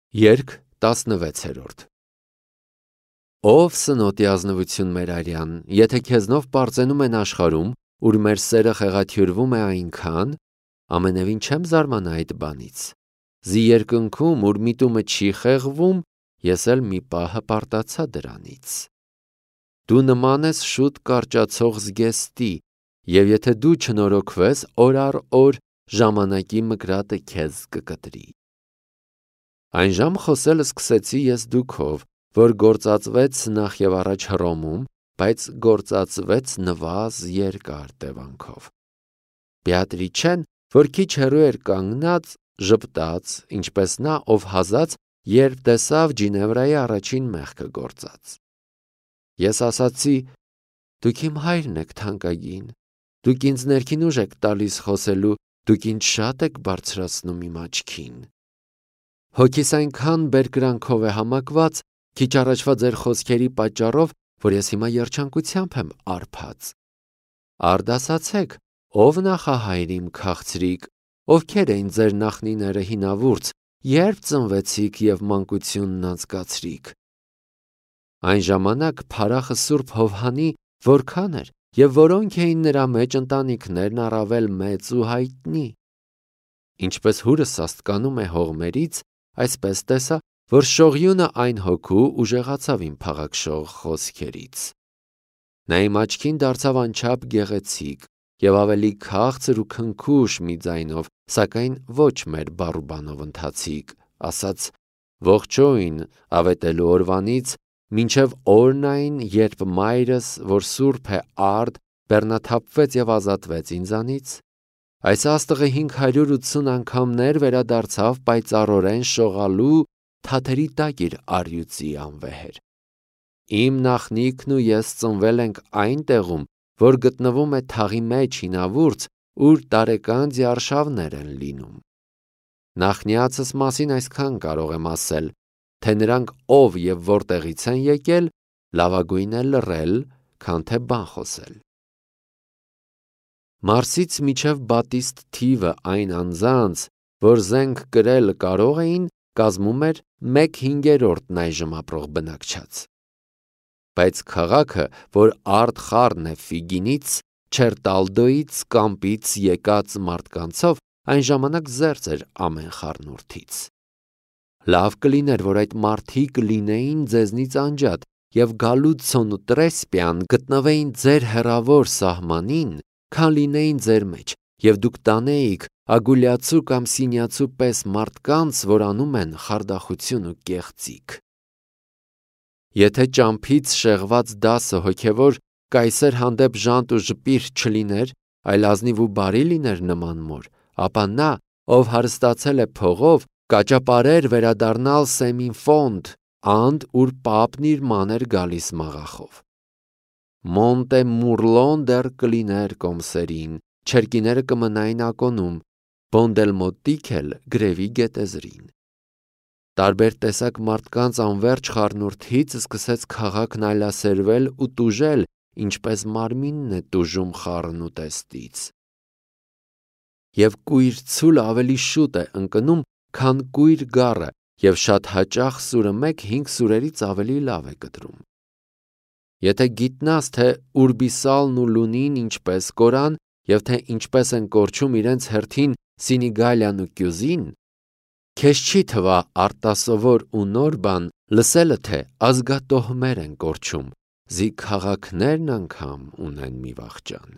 Երգ 16 Ով սնոտի ազնվություն մեր արյան, եթե քեզնով պարծենում են աշխարհում, ուր մեր սերը խեղաթյուրվում է այնքան, ամենևին չեմ զարմանա այդ բանից։ Զի երկնքում, ուր միտումը չի խեղվում, ես էլ մի պահ հպարտացա դրանից։ Դու նման ես շուտ կարճացող զգեստի, եւ եթե դու չնորոգվես, օր առ օր ժամանակի մկրատը քեզ կկտրի։ Այն ժամ խոսել սկսեցի ես դուքով, որ գործածվեց նախ եւ առաջ Հռոմում, բայց գործածվեց նվազ երկար տևանքով։ Բեատրիչեն, որ քիչ հեռու էր կանգնած, ժպտաց, ինչպես նա, ով հազած, երբ տեսավ Ջինևրայի առաջին մեղքը գործած։ Ես ասացի. «Դուք իմ հայրն եք թանկագին, դուք ինձ ներքին ուժ եք տալիս խոսելու, դուք ինձ շատ եք բարձրացնում իմ աչքին։ Հոգիս այնքան բերկրանքով է համակված, քիչ առաջվա ձեր խոսքերի պատճառով, որ ես հիմա երջանկությամբ եմ արբած։ Արդ ասացեք, ով նախահայր իմ քաղցրիկ, ովքեր էին ձեր նախնիները հինավուրց, երբ ծնվեցիք եւ մանկությունն անցկացրիք։ Այն ժամանակ փարախը Սուրբ Հովհանի որքան էր, եւ որոնք էին նրա մեջ ընտանիքներն առավել մեծ ու հայտնի։ Ինչպես հուրս աստկանում է հողմերից, այսպես տեսա, որ շողյունը այն հոգու ուժեղացավ իմ փաղաքշող խոսքերից։ Նա իմ աչքին դարձավ անչափ գեղեցիկ եւ ավելի քաղցր ու քնքուշ մի ձայնով, սակայն ոչ մեր բառուբանով ընթացիկ, ասաց. «Ողջույն ավետելու օրվանից մինչև օրն այն, երբ մայրս, որ սուրբ է արդ, բեռնաթափվեց եւ ազատվեց ինձանից, այս աստղը 580 անգամներ վերադարձավ պայծառորեն շողալու թաթերի տակ իր առյուծի անվեհեր։ Իմ նախնիքն ու ես ծնվել ենք այն տեղում, որ գտնվում է թաղի մեջ հինավուրց, ուր տարեկան ձիարշավներ են լինում։ Նախնիացս մասին այսքան կարող եմ ասել, թե նրանք ով եւ որտեղից են եկել, լավագույն է լռել, քան թե բան խոսել։ Մարսից միջև բատիստ թիվը այն անձանց, որ զենք կրել կարող էին, կազմում էր 1/5 այժմ ապրող բնակչած։ Բայց քաղաքը, որ արդ խառն է Ֆիգինից, Չերտալդոից, Կամպից եկած մարդկանցով, այն ժամանակ զերծ էր ամեն խառնուրդից։ Լավ կլիներ, որ այդ մարդիկ լինեին ձեզնից անջատ եւ Գալուցոն ու Տրեսպիան գտնվեին ձեր հեռավոր սահմանին, քան լինեին ձեր մեջ, եւ դուք տանեիք Ագուլյացու կամ Սինյացու պես մարդկանց, որ անում են խարդախություն ու կեղծիք։ Եթե ճամփից շեղված դասը հոգևոր կայսեր հանդեպ ժանտ ու ժպիր չլիներ, այլ ազնիվ ու բարի լիներ նման մոր, ապա նա, ով հարստացել է փողով, կաճապարեր վերադառնալ Սեմինֆոնդ, անդ ուր պապն իր ման էր գալիս մաղախով։ Մոնտե Մուրլոն դեռ կլիներ կոմսերին, չերկիները կմնային ակոնում, Բոնդելմոտիկ էլ գրևի գետեզրին։ Տարբեր տեսակ մարդկանց անվերջ խառնուրդից սկսեց քաղաքն այլասերվել ու տուժել, ինչպես մարմինն է տուժում խառն ուտեստից։ Եվ կույր ցուլը ավելի շուտ է ընկնում, քան կույր գառը, եւ շատ հաճախ սուրը մեկ 5 սուրերից ավելի լավ է կտրում։ Եթե գիտնաս, թե Ուրբիսալն ու Լունին ինչպես կորան, եւ թե ինչպես են կորչում իրենց հերթին Սինիգալյան ու Կյուզին, քեզ չի թվա արտասովոր ու նոր բան լսելը, թե ազգատոհմեր են կորչում, զի քաղաքներն անգամ ունեն մի վախճան։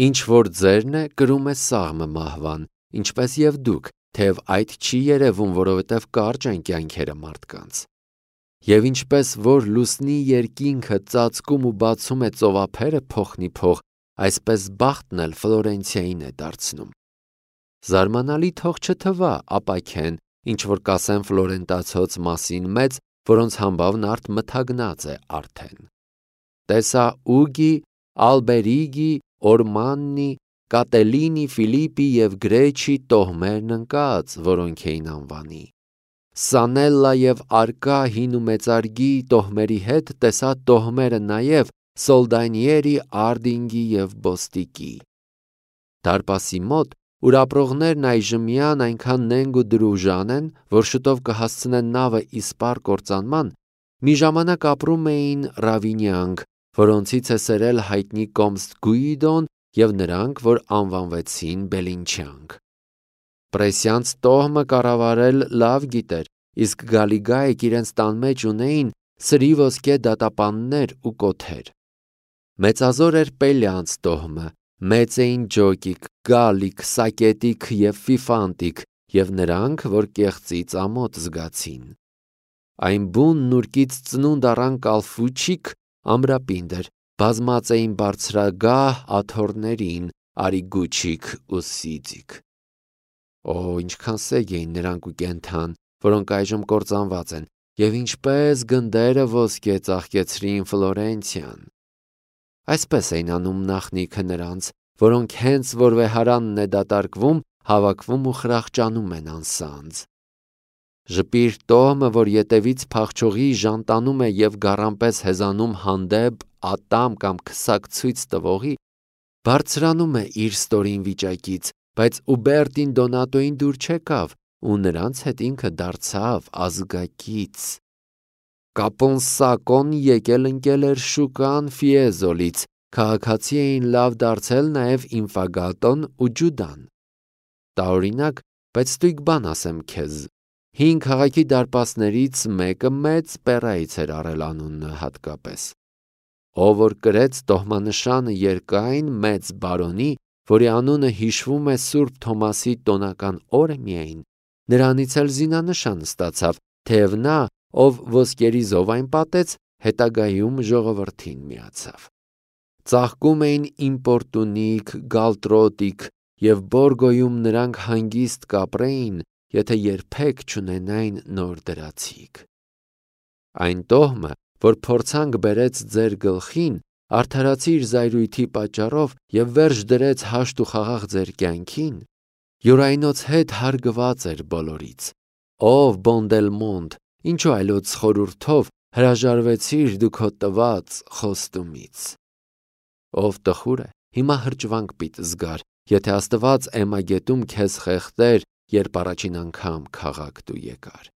Ինչ որ ձերն է, կրում է սաղմը մահվան, ինչպես եւ դուք, թեև այդ չի երևում, որովհետև կարճ են կյանքերը մարդկանց։ Եվ ինչպես որ լուսնի երկինքը ծածկում ու բացում է ծովափերը փոխնի փող, այսպես բախտն էլ Ֆլորենցիային է դարձնում։ Զարմանալի թող չթվա ապաքեն, ինչ որ կասեն ֆլորենտացոց մասին մեծ, որոնց համբավն արդ մթագնած է արդեն։ Տեսա Ուգի, Ալբերիգի, Օրմաննի, Կատելինի, Ֆիլիպի եւ Գրեչի տոհմերն ընկած, որոնք էին անվանի։ Սանելլա եւ Արկա հին ու մեծարգի տոհմերի հետ տեսա տոհմերը նաեւ Սոլդանիերի, Արդինգի եւ Բոստիկի։ Դարպասի մոտ, ուր ապրողներն այժմյան այնքան նենգ ու դրուժան են, որ շուտով կհասցնեն նավը իսպառ կործանման, մի ժամանակ ապրում էին Ռավինյանք, որոնցից է սերել հայտնի կոմս Գուիդոն և նրանք, որ անվանվեցին Բելինչյանք։ Պրեսյանց տոհմը կառավարել լավ գիտեր, իսկ Գալիգայք իրենց տան մեջ ունեին սրի ոսկե դատապաններ ու կոթեր։ Մեծազոր էր Պելյանց տոհմը, մեծ էին Ջոկիկ, Գալիկ, Սակետիկ և Ֆիֆանտիկ և նրանք, որ կեղծից ամոթ զգացին։ Այն բուն նուրկից ծնունդ առան Կալֆուչիկ ամրապինդ էր, բազմած էին բարձրագահ աթոռներին, Արիգուչիկ ու Սիձիկ։ Օ, ինչքան սեգ էին նրանք ու կենդան, որոնք այժմ կործանված են, և ինչպես գնդերը ոսկե ծաղկեցրին Ֆլորենցիան։ Այսպես էին անում նախնիքը նրանց, որոնք հենց որ վեհարանն է դատարկվում, հավաքվում ու խրախճանում են անսանձ։ Ժպիր տոհմը, որ ետևից փախչողի ժանտանում է և գառանպես հեզանում հանդեպ ատամ կամ քսակ ցույց տվողի, բարձրանում է իր ստորին վիճակից, բայց Ուբերտին Դոնատոին դուր չեկավ ու նրանց հետ ինքը դարձավ ազգակից։ Կապոնսակոն եկել ընկել էր շուկան Ֆիեզոլից, քաղաքացի էին լավ դարձել նաև Ինֆագատոն ու Ջուդան։ Տարօրինակ, բայց ստույգ բան ասեմ քեզ, 5 քաղաքի դարպասներից մեկը մեծ Պերայից էր առել անունը հատկապես, ով որ կրեց տոհմանշանը երկայն մեծ բարոնի, որի անունը հիշվում է Սուրբ Թոմասի տոնական օրը միայն, նրանից էլ զինանշան ստացավ, թեև նա, ով ոսկերի զով այն պատեց, հետագայում ժողովրդին միացավ։ Ծաղկում էին Իմպորտունիկ, Գալտրոտիկ և Բորգոյում նրանք հանգիստ կապրեին, եթե երբեք չունենային նոր դրացիկ։ Այն տոհմը, որ փորձանք բերեց ձեր գլխին, արդարացիր զայրույթի պատճառով և վերջ դրեց հաշտ ու խաղաղ ձեր կյանքին, յուրայնոց հետ հարգված էր բոլորից։ Ով Բոնդելմոնտ, ինչու այլոց խորհուրդով հրաժարվեցիր դու քո տված խոստումից։ Ով տխուր է, հիմա հրճվանք պիտի զգար, եթե Աստված Էմագետում քեզ խեղդեր, երբ առաջին անգամ քաղաք դու եկար։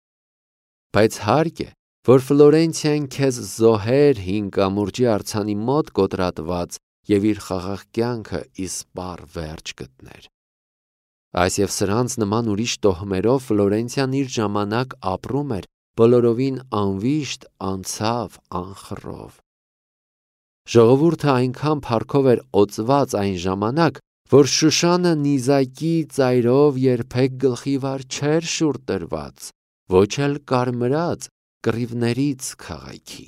Բայց հարկ է, որ Ֆլորենցիան քեզ զոհեր հին կամուրջի արձանի մոտ կոտրատված և իր խաղաղ կյանքը իսպառ վերջ գտներ։ Այս և սրանց նման ուրիշ տոհմերով Ֆլորենցիան իր ժամանակ ապրում էր, բոլորովին անվիշտ, անցավ, անխռով։ Ժողովուրդը այնքան փառքով էր օծված այն ժամանակ, որ Շուշանը նիզակի ծայրով երբեք գլխի վար չէր շուռ տրված, ոչ էլ կարմրած կռիվներից քաղաքի։